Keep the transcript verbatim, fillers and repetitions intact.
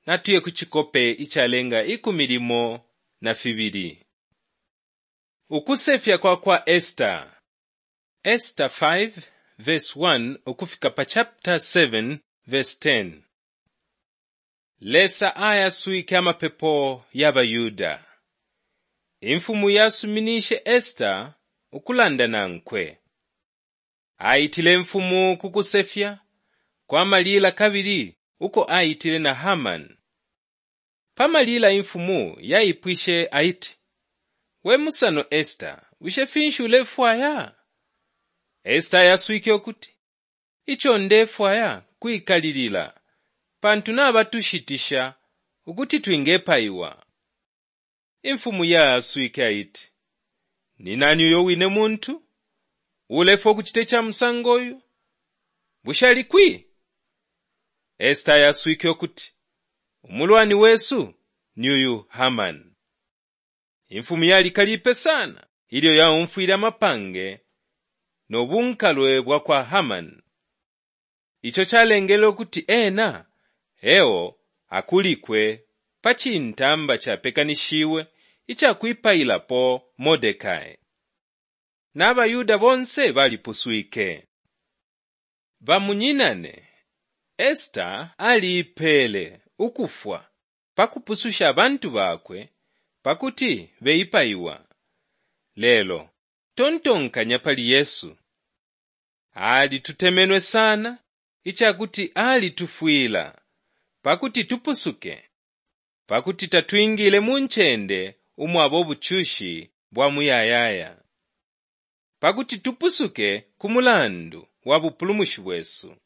Natuye ku cikope icalenga ikumi limo na fibili. Ukusefya kwa kwa Esta. Esta five verse one ukufika pa chapter seven verse ten. Lesa ayaswike amapepo ya baYuda. Imfumu yasuminishe Esta ukulanda nankwe. Aitile imfumu ku kusefya kwa malila kabili uko aitile na Hamani. Pa malila imfumu yaipwishe aiti, "We musano Esta, bushe finshi ulefwaya?" Esta ayaswike ukuti, "Ico ndefwaya kwikalilila, pantu nabatushitisha ukuti twingepaiwa." Imfumu yaaswike aiti, "Ni nani uyo wine muntu ulefwaya ukucita ica musango uyu? Bushe ali kwi?" Esta ayaswike ukuti, "Umulwani wesu ni uyu Hamani." Imfumu yalikalipe sana ilyo yaumfwile amapange no bunkalwe bwa kwa Hamani. Ico calengele ukuti ena eo akulikwe pa cintamba capekanishiwe ica kwipailapo Mordekai. Na baYuda bonse balipuswike. Bamunyinane, Esta aliipeele ukufwa pa kupususha abantu bakwe pakuti beipaiwa. Lelo tontonkanya pali Yesu. Alitutemenwe sana icakuti alitufwila pakuti tupusuke, pakuti tatwingile mu ncende umwaba ubucushi bwa muyayaya, pakuti tupusuke ku mulandu wa bupulumushi bwesu.